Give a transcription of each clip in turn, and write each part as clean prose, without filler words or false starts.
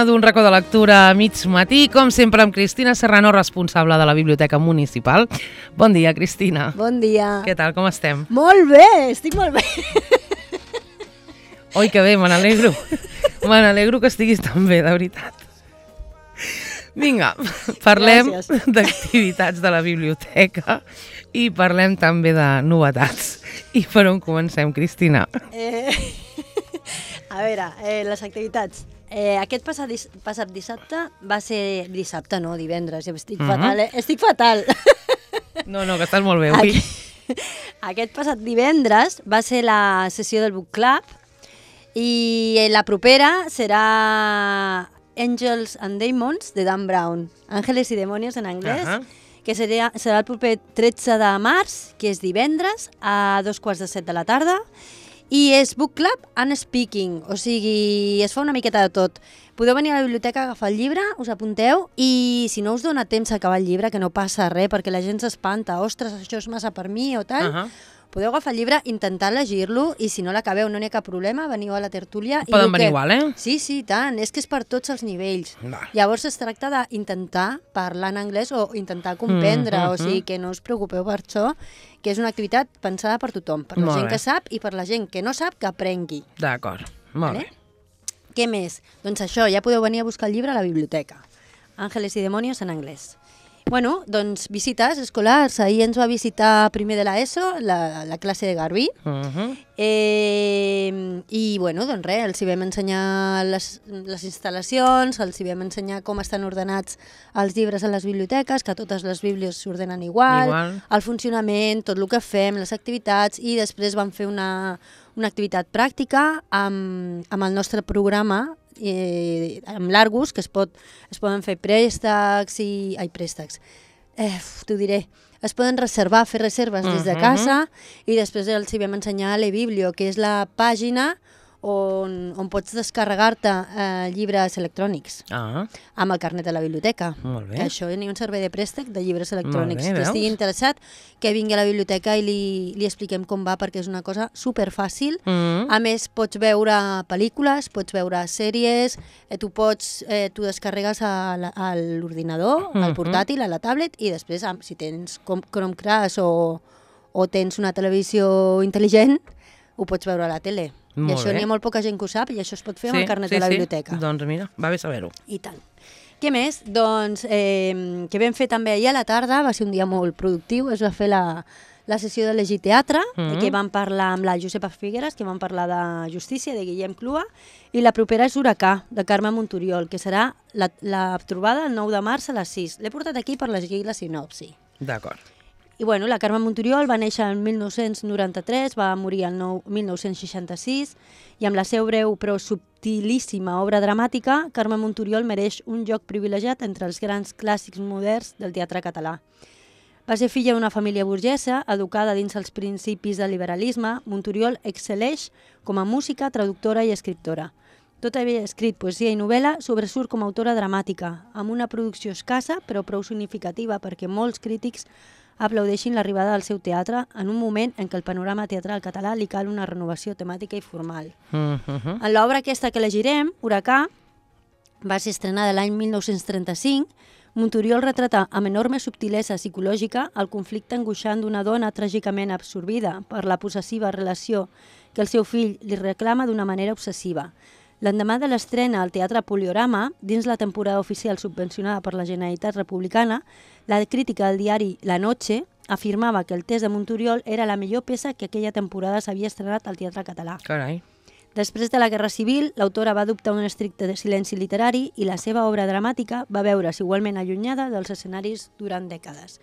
matinada d'un racó de lectura a mig matí, com sempre amb Cristina Serrano, responsable de la Biblioteca Municipal. Bon dia, Cristina. Bon dia. Què tal, com estem? Molt bé, estic molt bé. Oi, que bé, me n'alegro. Me n'alegro que estiguis tan bé, de veritat. Vinga, parlem d'activitats de la biblioteca i parlem també de novetats. I per on comencem, Cristina? A veure, les activitats. Aquest passat dissabte va ser... Dissabte, no, divendres. Estic fatal, Estic fatal. No, que estàs molt bé avui. Aquest passat divendres va ser la sessió del Book Club i la propera serà Angels and Demons, de Dan Brown. Ángeles y Demonios en anglès, que serà el proper 13 de març, que és divendres, a 7:15 de la tarda, i és Book Club and Speaking, o sigui, es fa una miqueta de tot. Podeu venir a la biblioteca a agafar el llibre, us apunteu, i si no us dona temps a acabar el llibre, que no passa res, perquè la gent s'espanta, ostres, això és massa per mi o tal, podeu agafar el llibre, intentar llegir-lo, i si no l'acabeu no n'hi ha cap problema, veniu a la tertúlia. Poden venir igual, eh? Sí, tant, és que és per tots els nivells. Llavors es tracta d'intentar parlar en anglès o intentar comprendre, o sigui que no us preocupeu per això, que és una activitat pensada per tothom, per la gent que sap i per la gent que no sap que aprengui. D'acord, molt bé. Què més? Doncs això, ja podeu venir a buscar el llibre a la biblioteca. Ángeles y Demonios en anglès. Bueno, doncs visites escolars. Ahir ens va visitar primer de l'ESO, la classe de Garbí. I, bueno, doncs res, els hi vam ensenyar les instal·lacions, els hi vam ensenyar com estan ordenats els llibres a les biblioteques, que totes les bíblies s'ordenen igual, el funcionament, tot el que fem, les activitats, i després vam fer una activitat pràctica amb el nostre programa, amb l'Argus, que es poden fer préstecs t'ho diré, es poden fer reserves des de casa, i després els hi vam ensenyar l'eBiblio, que és la pàgina on pots descarregar-te llibres electrònics amb el carnet de la biblioteca. Que això n'hi ha un servei de préstec de llibres electrònics. Qui estigui interessat, que vingui a la biblioteca i li expliquem com va, perquè és una cosa superfàcil. A més, pots veure pel·lícules, pots veure sèries, tu descarregues a l'ordinador, al portàtil, a la tablet, i després, si tens Chromecast o tens una televisió intel·ligent, ho pots veure a la tele. I això n'hi ha molt poca gent que ho sap, i això es pot fer amb el carnet de la biblioteca. Doncs mira, va bé saber-ho. I tant. Què més? Doncs que vam fer també ahir a la tarda, va ser un dia molt productiu, es va fer la sessió de Llegir Teatre, que vam parlar amb la Josepa Figueres, que vam parlar de Justícia, de Guillem Clua, i la propera és Huracà, de Carme Montoriol, que serà la trobada el 9 de març a les 6. L'he portat aquí per llegir la sinopsi. D'acord. I bueno, la Carme Montoriol va néixer el 1993, va morir el 1966, i amb la seva breu però subtilíssima obra dramàtica, Carme Montoriol mereix un lloc privilegiat entre els grans clàssics moderns del teatre català. Va ser filla d'una família burgesa, educada dins els principis del liberalisme. Montoriol excel·leix com a música, traductora i escriptora. Tot havia escrit poesia i novel·la, sobresurt com a autora dramàtica, amb una producció escassa però prou significativa perquè molts crítics aplaudeixin l'arribada del seu teatre en un moment en què el panorama teatral català li cal una renovació temàtica i formal. En l'obra aquesta que llegirem, Huracà, va ser estrenada l'any 1935. Montoriol retrata amb enorme subtilesa psicològica el conflicte angoixant d'una dona tràgicament absorbida per la possessiva relació que el seu fill li reclama d'una manera obsessiva. L'endemà de l'estrena al Teatre Poliorama, dins la temporada oficial subvencionada per la Generalitat Republicana, la crítica del diari La Noche afirmava que el text de Montoriol era la millor peça que aquella temporada s'havia estrenat al teatre català. Carai. Després de la Guerra Civil, l'autora va adoptar un estricte silenci literari i la seva obra dramàtica va veure's igualment allunyada dels escenaris durant dècades.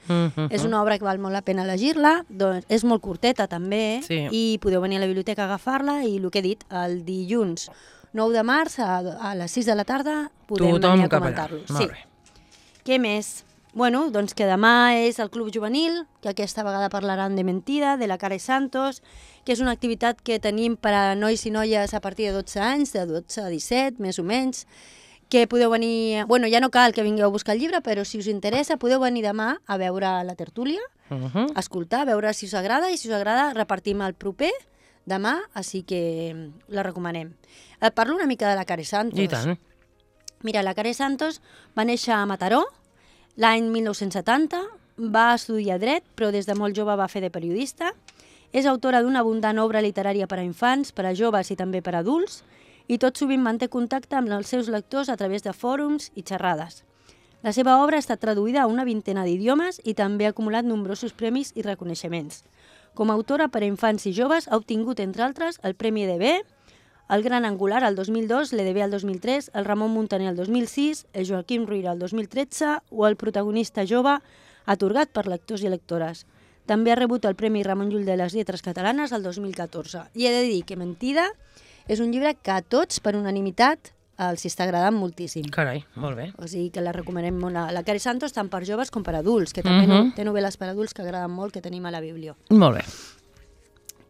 És una obra que val molt la pena llegir-la, és molt curteta també, i podeu venir a la biblioteca a agafar-la, i el que he dit, el dilluns 9 de març a les 6 de la tarda podem venir a comentar-lo. Què més? Bueno, doncs que demà és el Club Juvenil, que aquesta vegada parlaran de Mentida, de la Cara i Santos, que és una activitat que tenim per a nois i noies a partir de 12 anys, de 12 a 17, més o menys, que podeu venir... Bueno, ja no cal que vingueu a buscar el llibre, però si us interessa podeu venir demà a veure la tertúlia, escoltar, veure si us agrada, i si us agrada repartim el proper demà, així que la recomanem. Et parlo una mica de la Cara i Santos. I tant. Mira, la Carey Santos va néixer a Mataró l'any 1970, va estudiar dret, però des de molt jove va fer de periodista. És autora d'una abundant obra literària per a infants, per a joves i també per a adults, i tot sovint manté contacte amb els seus lectors a través de fòrums i xerrades. La seva obra ha estat traduïda a una vintena d'idiomes i també ha acumulat nombrosos premis i reconeixements. Com a autora per a infants i joves ha obtingut, entre altres, el Premi EDB, el Gran Angular el 2002, l'EDB el 2003, el Ramon Muntaner el 2006, el Joaquim Ruyra el 2013 o el Protagonista jove atorgat per lectors i lectores. També ha rebut el Premi Ramon Llull de les Lletres Catalanes el 2014. I he de dir que Mentida és un llibre que a tots, per unanimitat, els està agradant moltíssim. Carai, molt bé. O sigui que la recomanem molt. La Carey Santos tant per joves com per adults, que també té novel·les per adults que agraden molt, que tenim a la Biblio. Molt bé.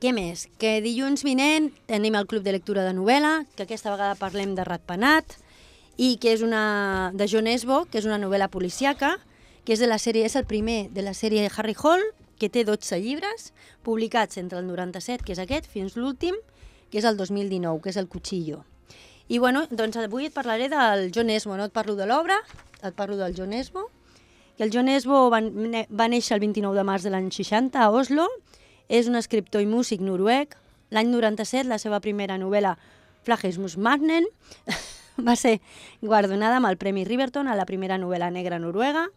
Què més? Que dilluns vinent tenim el Club de Lectura de Novel·la, que aquesta vegada parlem de Ratpenat, i que és una de Jon Esbo, que és una novel·la policíaca, que és de la sèrie, és el primer de la sèrie Harry Hole, que té 12 llibres, publicats entre el 97, que és aquest, fins l'últim, que és el 2019, que és el Cuchillo. I bueno, doncs avui et parlaré del Jon Esbo, no et parlo de l'obra, et parlo del Jon Esbo, que el Jon Esbo va néixer el 29 de març de l'any 60 a Oslo, és un escriptor i músic noruec. L'any 97, la seva primera novel·la, Flagesmus Magnen, va ser guardonada amb el Premi Riverton a la primera novel·la negra noruega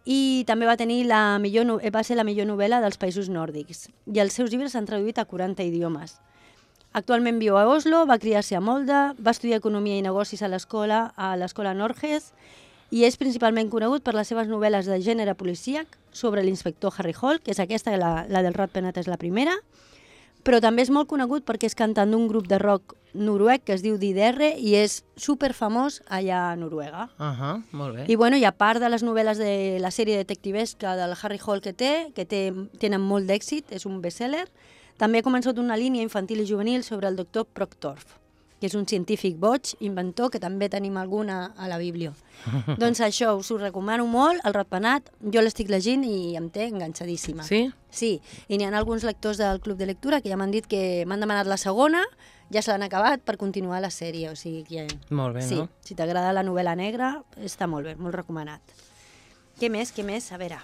i també va ser la millor novel·la dels països nòrdics. I els seus llibres s'han traduït a 40 idiomes. Actualment viu a Oslo, va criar-se a Molde, va estudiar Economia i Negocis a l'escola Norges i és principalment conegut per les seves novel·les de gènere policíac sobre l'inspector Harry Hole, que és aquesta, la del Ratpenat és la primera, però també és molt conegut perquè és cantant d'un grup de rock noruec que es diu DDR i és superfamós allà a Noruega. Molt bé. I bueno, i a part de les novel·les de la sèrie detectivesca del Harry Hole que tenen molt d'èxit, és un bestseller, també ha començat una línia infantil i juvenil sobre el doctor Proctorf, que és un científic boig, inventor, que també tenim alguna a la Biblio. Doncs això, us ho recomano molt, el Ratpenat, jo l'estic llegint i em té enganxadíssima. Sí? Sí, i n'hi ha alguns lectors del Club de Lectura que ja m'han dit que m'han demanat la segona, ja se l'han acabat per continuar la sèrie, o sigui que... Molt bé, sí, no? Si t'agrada la novel·la negra, està molt bé, molt recomanat. Què més? A veure...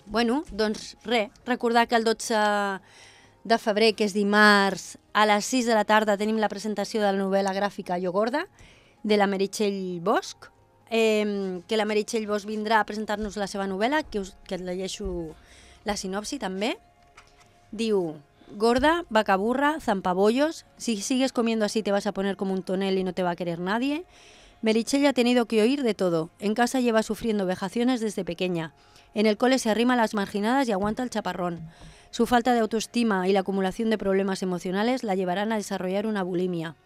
bueno, doncs res, recordar que el 12 de febrer, que és dimarts, a les 6 de la tarda tenim la presentació de la novel·la gràfica Jo Gorda, de la Meritxell Bosch, que la Meritxell Bosch vindrà a presentar-nos la seva novel·la, que et llegeixo la sinopsi també. Diu: Gorda, vacaburra, zampabollos, si sigues comiendo así te vas a poner como un tonel y no te va a querer nadie. Meritxell ha tenido que oír de todo. En casa lleva sufriendo vejaciones desde pequeña. En el cole se arrima a las marginadas y aguanta el chaparrón. Su falta de autoestima y la acumulación de problemas emocionales la llevarán a desarrollar una bulimia.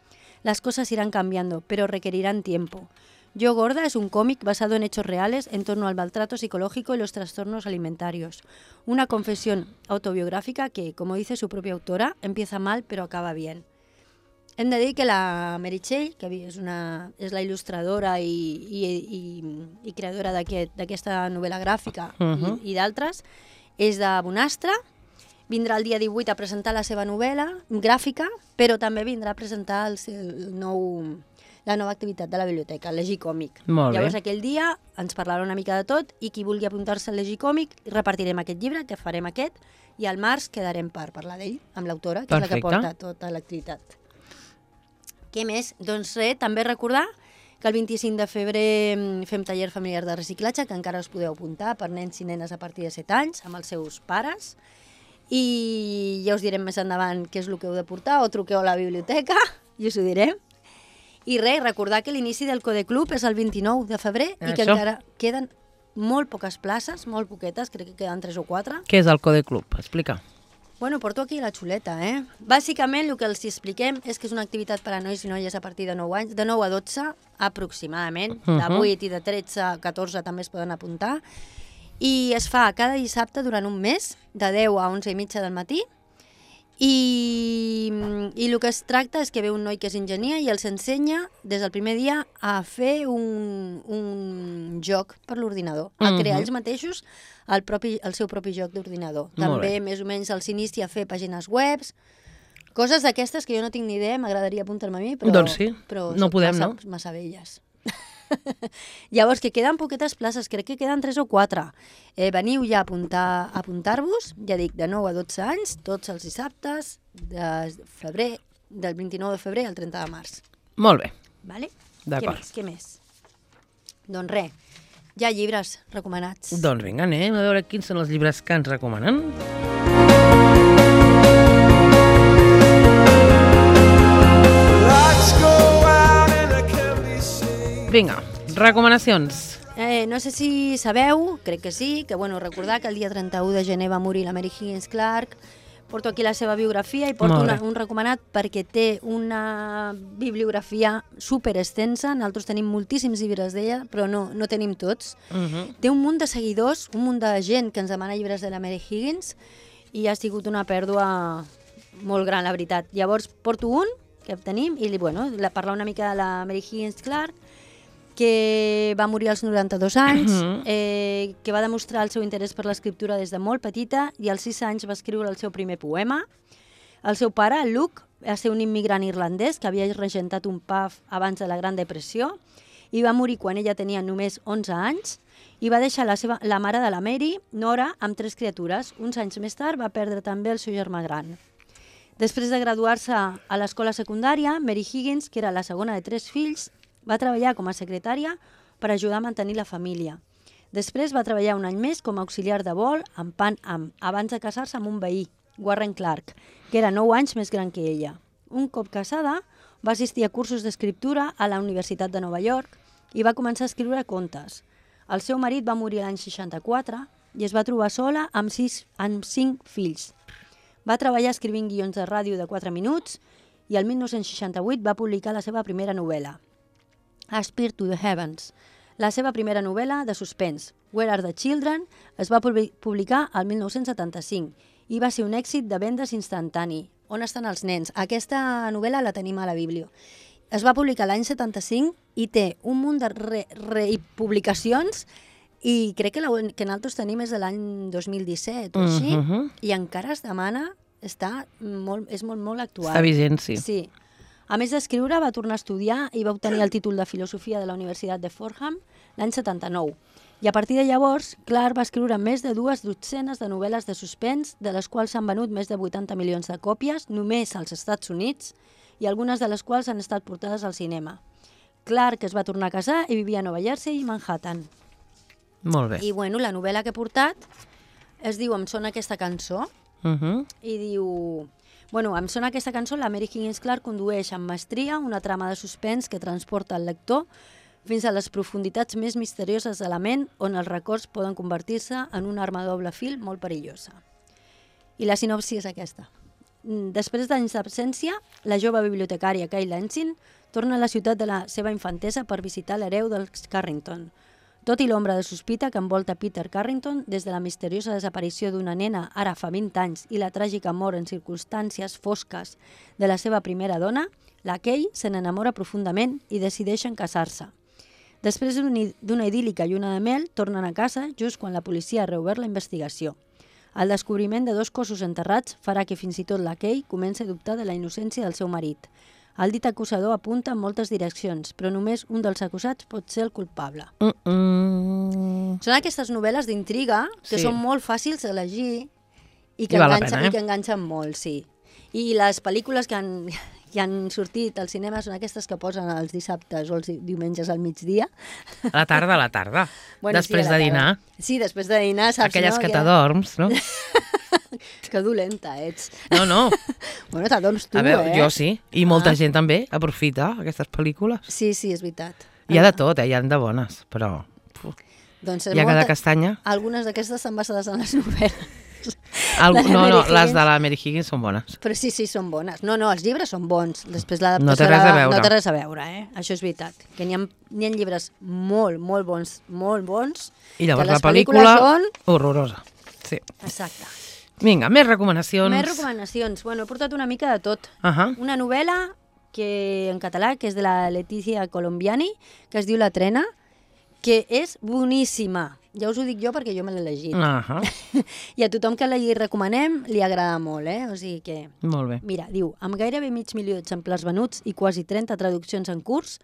Las cosas irán cambiando, pero requerirán tiempo. Yo Gorda es un cómic basado en hechos reales en torno al maltrato psicológico y los trastornos alimentarios. Una confesión autobiográfica que, como dice su propia autora, empieza mal pero acaba bien. Hem de dir que la Meritxell, que és la il·lustradora i creadora d'aquesta novel·la gràfica i d'altres, és de Bonastre. Vindrà el dia 18 a presentar la seva novel·la gràfica, però també vindrà a presentar la nova activitat de la biblioteca, el Llegir Còmic. Llavors aquell dia ens parlarà una mica de tot i qui vulgui apuntar-se al Llegir Còmic repartirem aquest llibre, que farem aquest, i al març quedarem per parlar d'ell amb l'autora, que és la que porta tota l'activitat. Què més? Doncs res, també recordar que el 25 de febrer fem taller familiar de reciclatge, que encara us podeu apuntar per nens i nenes a partir de 7 anys, amb els seus pares. I ja us direm més endavant què és el que heu de portar, o truqueu a la biblioteca i us ho direm. I res, recordar que l'inici del Code Club és el 29 de febrer i que encara queden molt poques places, molt poquetes, crec que queden 3 o 4. Què és el Code Club? Explica. Bueno, porto aquí la xuleta, Bàsicament, el que els expliquem és que és una activitat per a nois i noies a partir de 9 anys, de 9 a 12 aproximadament, de 8 i de 13 a 14 també es poden apuntar, i es fa cada dissabte durant un mes, de 10 a 11 i mitja del matí, i el que es tracta és que ve un noi que és enginyer i els ensenya des del primer dia a fer un joc per l'ordinador, a crear ells mateixos el seu propi joc d'ordinador. També més o menys els inicia a fer pàgines webs, Coses d'aquestes que jo no tinc ni idea, m'agradaria apuntar-me a mi, però, doncs sí, però no podem, massa velles. Llavors, que queden poquetes places, crec que queden 3 o 4. Veniu ja a apuntar-vos, ja dic, de 9 a 12 anys, tots els dissabtes, del 29 de febrer al 30 de març. Molt bé. Vale? D'acord. Què més? Doncs res, hi ha llibres recomanats. Doncs vinga, anem a veure quins són els llibres que ens recomanen. Vinga, recomanacions. No sé si sabeu, crec que sí, que recordar que el dia 31 de gener va morir la Mary Higgins Clark. Porto aquí la seva biografia i porto un recomanat perquè té una bibliografia super extensa. Nosaltres tenim moltíssims llibres d'ella, però no tenim tots. Té un munt de seguidors, un munt de gent que ens demana llibres de la Mary Higgins i ha sigut una pèrdua molt gran, la veritat. Llavors porto un que tenim i parlar una mica de la Mary Higgins Clark, que va morir als 92 anys, que va demostrar el seu interès per l'escriptura des de molt petita i als 6 anys va escriure el seu primer poema. El seu pare, Luke, va ser un immigrant irlandès que havia regentat un pub abans de la Gran Depressió i va morir quan ella tenia només 11 anys i va deixar la mare de la Mary, Nora, amb 3 criatures. Uns anys més tard va perdre també el seu germà gran. Després de graduar-se a l'escola secundària, Mary Higgins, que era la segona de 3 fills, va treballar com a secretària per ajudar a mantenir la família. Després va treballar un any més com a auxiliar de vol amb Pan Am, abans de casar-se amb un veí, Warren Clark, que era 9 anys més gran que ella. Un cop casada, va assistir a cursos d'escriptura a la Universitat de Nova York i va començar a escriure contes. El seu marit va morir l'any 64 i es va trobar sola amb 5 fills. Va treballar escrivint guions de ràdio de 4 minuts i el 1968 va publicar la seva primera novel·la, Aspire to the Heavens. La seva primera novel·la de suspens, Where Are the Children, es va publicar el 1975 i va ser un èxit de vendes instantani. On estan els nens? Aquesta novel·la la tenim a la Biblio. Es va publicar l'any 75 i té un munt de republicacions i crec que nosaltres tenim és de l'any 2017 o així, i encara es demana, és molt actual. Està vigent, sí. Sí. A més d'escriure, va tornar a estudiar i va obtenir el títol de Filosofia de la Universitat de Fordham l'any 79. I a partir de llavors, Clark va escriure més de 2 dotzenes de novel·les de suspens, de les quals s'han venut més de 80 milions de còpies, només als Estats Units, i algunes de les quals han estat portades al cinema. Clark es va tornar a casar i vivia a Nova Jersey i Manhattan. Molt bé. I la novel·la que he portat es diu Em sona aquesta cançó, i diu... em sona aquesta cançó, la Mary Higgins Clark condueix amb mestria una trama de suspens que transporta el lector fins a les profunditats més misterioses de la ment, on els records poden convertir-se en una arma de doble fil molt perillosa. I la sinopsi és aquesta. Després d'anys d'absència, la jove bibliotecària Kay Lansing torna a la ciutat de la seva infantesa per visitar l'hereu dels Carrington. Tot i l'ombra de sospita que envolta Peter Carrington des de la misteriosa desaparició d'una nena ara fa 20 anys i la tràgica mort en circumstàncies fosques de la seva primera dona, la Kay se n'enamora profundament i decideixen casar-se. Després d'una idíl·lica lluna de mel, tornen a casa just quan la policia ha reobert la investigació. El descobriment de 2 cossos enterrats farà que fins i tot la Kay comenci a dubtar de la innocència del seu marit. El dit acusador apunta en moltes direccions, però només un dels acusats pot ser el culpable. Són aquestes novel·les d'intriga que són molt fàcils de llegir i que enganxen molt, sí. I les pel·lícules que han sortit al cinema són aquestes que posen els dissabtes o els diumenges al migdia. A la tarda. Després de dinar. Sí, després de dinar, saps? Aquelles que t'adorms, no? Que dolenta ets. No. T'adorms tu, Jo sí. I molta gent també aprofita aquestes pel·lícules. Sí, és veritat. Hi ha de tot, hi ha de bones, però... Hi ha cada castanya. Algunes d'aquestes estan basades en les novel·les. Les de la Mary Higgins són bones. Però sí, són bones. No, els llibres són bons. Després l'adaptació no té res a veure, Això és veritat. Que n'hi ha llibres molt, molt bons, I llavors la pel·lícula són... horrorosa. Sí. Exacte. Vinga, més recomanacions. He portat una mica de tot. Una novel·la en català, que és de la Letizia Colombiani, que es diu La Trena, que és boníssima. Ja us ho dic jo perquè jo me l'he llegit. I a tothom que li recomanem li agrada molt, O sigui que... Molt bé. Mira, diu, amb gairebé 500.000 exemplars venuts i quasi 30 traduccions en curs,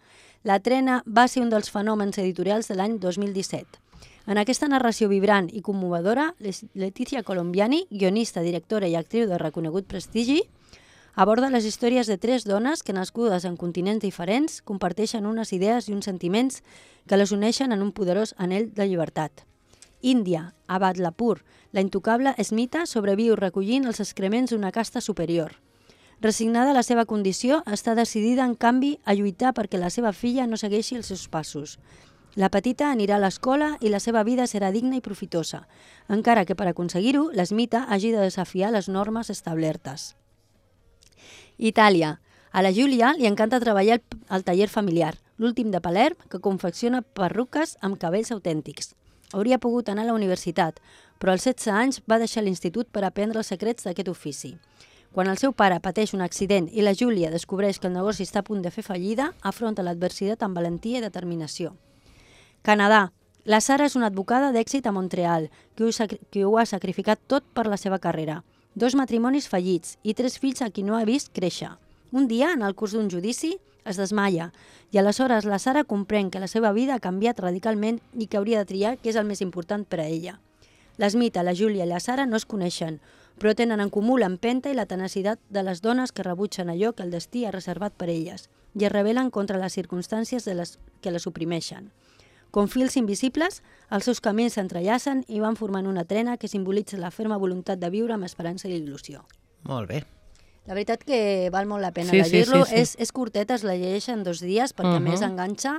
La trena va ser un dels fenòmens editorials de l'any 2017. En aquesta narració vibrant i commovedora, Letizia Colombiani, guionista, directora i actriu de reconegut prestigi, aborda les històries de 3 dones que, nascudes en continents diferents, comparteixen unes idees i uns sentiments que les uneixen en un poderós anhel de llibertat. Índia, a Badlapur, la intocable Smita sobreviu recollint els excrements d'una casta superior. Resignada a la seva condició, està decidida, en canvi, a lluitar perquè la seva filla no segueixi els seus passos. La petita anirà a l'escola i la seva vida serà digna i profitosa, encara que per aconseguir-ho, l'Smita hagi de desafiar les normes establertes. Itàlia. A la Júlia li encanta treballar al taller familiar, l'últim de Palerm, que confecciona perruques amb cabells autèntics. Hauria pogut anar a la universitat, però als 16 anys va deixar l'institut per aprendre els secrets d'aquest ofici. Quan el seu pare pateix un accident i la Júlia descobreix que el negoci està a punt de fer fallida, afronta l'adversitat amb valentia i determinació. Canadà. La Sara és una advocada d'èxit a Montreal, que ho ha sacrificat tot per la seva carrera. 2 matrimonis fallits i 3 fills a qui no ha vist créixer. Un dia, en el curs d'un judici, es desmaia i aleshores la Sara comprèn que la seva vida ha canviat radicalment i que hauria de triar què és el més important per a ella. L'Smita, la Júlia i la Sara no es coneixen, però tenen en comú l'empenta i la tenacitat de les dones que rebutgen allò que el destí ha reservat per elles i es rebel·len contra les circumstàncies que les oprimeixen. Com fils invisibles, els seus camins s'entrellacen i van formant una trena que simbolitza la ferma voluntat de viure amb esperança i il·lusió. Molt bé. La veritat que val molt la pena llegir-lo. És curteta, es la llegeix en 2 dies perquè a més enganxa.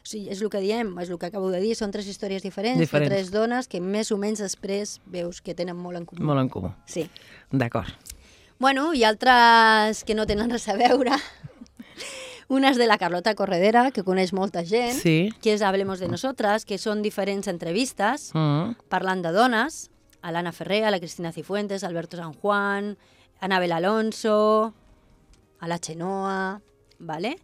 O sigui, és el que diem, és el que acabo de dir, són 3 històries diferents. De 3 dones que més o menys després veus que tenen molt en comú. Molt en comú. Sí. D'acord. Bueno, i altres que no tenen res a veure. Una és de la Carlota Corredera, que coneix molta gent, que és Hablemos de Nosotras, que són diferents entrevistes parlant de dones, a l'Anna Ferrer, a la Cristina Cifuentes, a Alberto San Juan, a Anabel Alonso, a la Chenoa, ¿vale?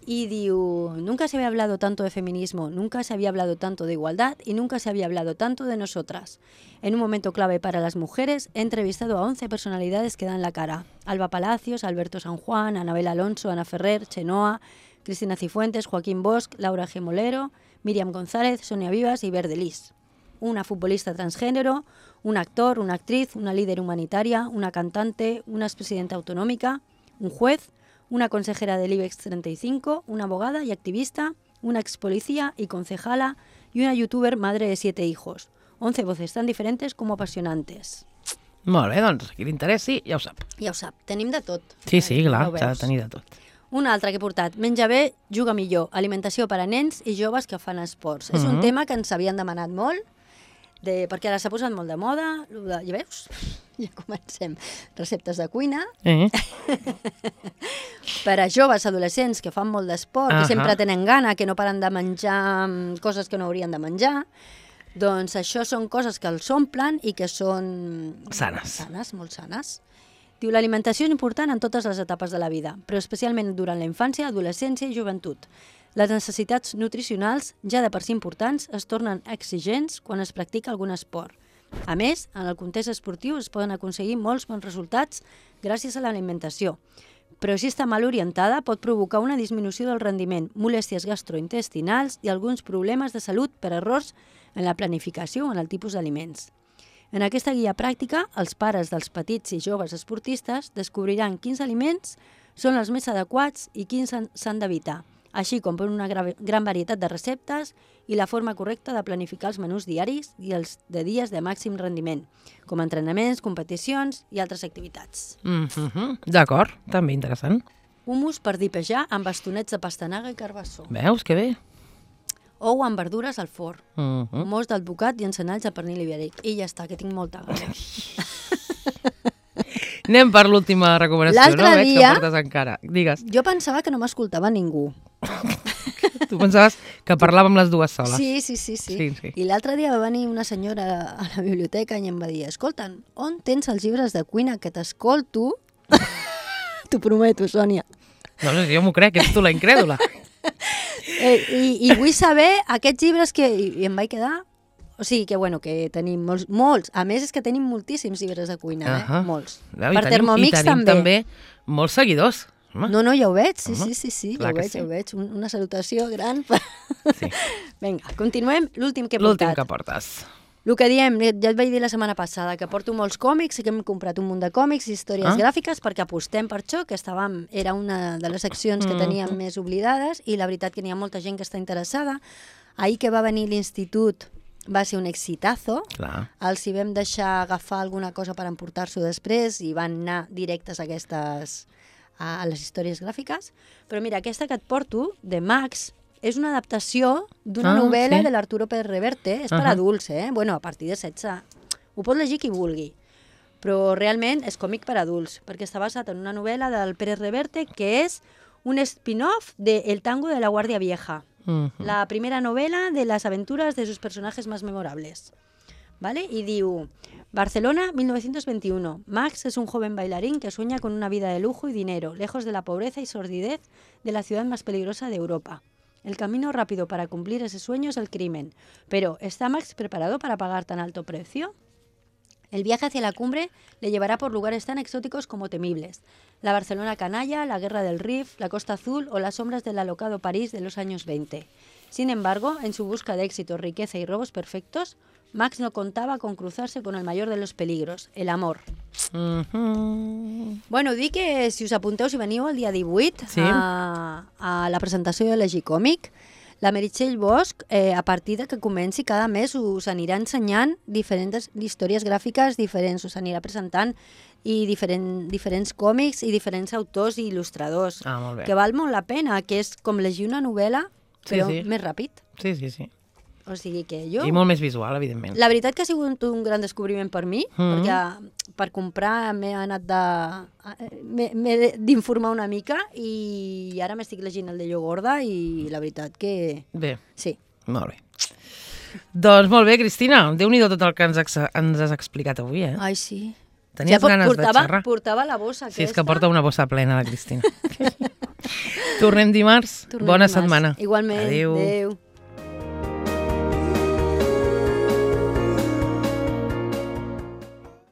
Y digo, nunca se había hablado tanto de feminismo, nunca se había hablado tanto de igualdad y nunca se había hablado tanto de nosotras. En un momento clave para las mujeres, he entrevistado a 11 personalidades que dan la cara. Alba Palacios, Alberto San Juan, Anabel Alonso, Ana Ferrer, Chenoa, Cristina Cifuentes, Joaquín Bosch, Laura G. Molero, Míriam González, Sonia Vivas y Verdelis. Una futbolista transgénero, un actor, una actriz, una líder humanitaria, una cantante, una expresidenta autonómica, un juez, una consejera del IBEX 35, una abogada y activista, una expolicía y concejala y una youtuber madre de 7 hijos. 11 voces tan diferentes como apasionantes. Molt bé, doncs, qui l'interessi ja ho sap. Ja ho sap, tenim de tot. Sí, clar, s'ha de tenir de tot. Una altra que he portat, menja bé, juga millor, alimentació per a nens i joves que fan esports. És un tema que ens havien demanat molt, perquè ara s'ha posat molt de moda, ja veus? Ja comencem. Receptes de cuina. Per a joves adolescents que fan molt d'esport, que sempre tenen gana, que no paren de menjar coses que no haurien de menjar, doncs això són coses que els omplen i que són sanes, molt sanes. Diu, l'alimentació és important en totes les etapes de la vida, però especialment durant la infància, adolescència i joventut. Les necessitats nutricionals, ja de per si importants, es tornen exigents quan es practica algun esport. A més, en el context esportiu es poden aconseguir molts bons resultats gràcies a l'alimentació. Però si està mal orientada pot provocar una disminució del rendiment, molèsties gastrointestinals i alguns problemes de salut per errors en la planificació o en el tipus d'aliments. En aquesta guia pràctica, els pares dels petits i joves esportistes descobriran quins aliments són els més adequats i quins s'han d'evitar, així com per una gran varietat de receptes i la forma correcta de planificar els menús diaris i els de dies de màxim rendiment, com entrenaments, competicions i altres activitats. D'acord, també interessant. Hummus per dipejar amb bastonets de pastanaga i carbassó. Veus, que bé. Ou amb verdures al forn. Mos d'alvocat i encenalls de pernil ibèric. I ja està, que tinc molta gana. Anem per l'última recomanació, no? Veig que portes encara. Digues. Jo pensava que no m'escoltava ningú. Tu pensaves que parlàvem les dues soles. Sí. I l'altre dia va venir una senyora a la biblioteca i em va dir, escolta, on tens els llibres de cuina que t'escolto? T'ho prometo, Sònia. No, jo m'ho crec, ets tu la incrèdula. I vull saber aquests llibres que... I em vaig quedar O sigui que, bueno, que tenim molts. A més, és que tenim moltíssims llibres de cuina, molts. Per Thermomix també molts seguidors. No, ja ho veig, sí, ja ho veig. Una salutació gran. Vinga, continuem. L'últim que he portat. L'últim que portes. El que diem, ja et vaig dir la setmana passada, que porto molts còmics i que hem comprat un munt de còmics i històries gràfiques perquè apostem per això, que era una de les seccions que teníem més oblidades i la veritat que n'hi ha molta gent que està interessada. Ahir que va venir l'institut va ser un exitazo. Els hi vam deixar agafar alguna cosa per emportar-s'ho després i van anar directes a les històries gràfiques. Però mira, aquesta que et porto, de Max, és una adaptació d'una novel·la de l'Arturo Pérez Reverte. És per adults, Bueno, a partir de 16. Ho pot llegir qui vulgui. Però realment és còmic per adults, perquè està basat en una novel·la del Pérez Reverte que és un spin-off de El tango de la Guardia Vieja. La primera novela de las aventuras de sus personajes más memorables. ¿Vale? Y diu, Barcelona, 1921. Max es un joven bailarín que sueña con una vida de lujo y dinero, lejos de la pobreza y sordidez de la ciudad más peligrosa de Europa. El camino rápido para cumplir ese sueño es el crimen. Pero, ¿está Max preparado para pagar tan alto precio? El viaje hacia la cumbre le llevará por lugares tan exóticos como temibles. La Barcelona canalla, la guerra del Rif, la Costa Azul o las sombras del alocado París de los años 20. Sin embargo, en su busca de éxito, riqueza y robos perfectos, Max no contaba con cruzarse con el mayor de los peligros, el amor. Bueno, dic que si us apunteu, si veniu el dia 18 a la presentació de l'Egicòmic, la Meritxell Bosch, a partir de que comenci cada mes, us anirà ensenyant diferents històries gràfiques diferents, us anirà presentant i diferents còmics i diferents autors i il·lustradors, que val molt la pena, que és com llegir una novel·la, però més ràpid. Sí. O sigui que jo... I molt més visual, evidentment. La veritat que ha sigut un gran descobriment per mi, perquè per comprar m'he d'informar una mica i ara m'estic llegint el de Llogorda i la veritat que... Bé, sí. Molt bé. Doncs molt bé, Cristina, Déu-n'hi-do tot el que ens has explicat avui, Ai, sí. Tenies ganes de xerrar? Portava la bossa aquesta. Sí, és que porta una bossa plena, la Cristina. Tornem dimarts. Bona setmana. Igualment. Adéu.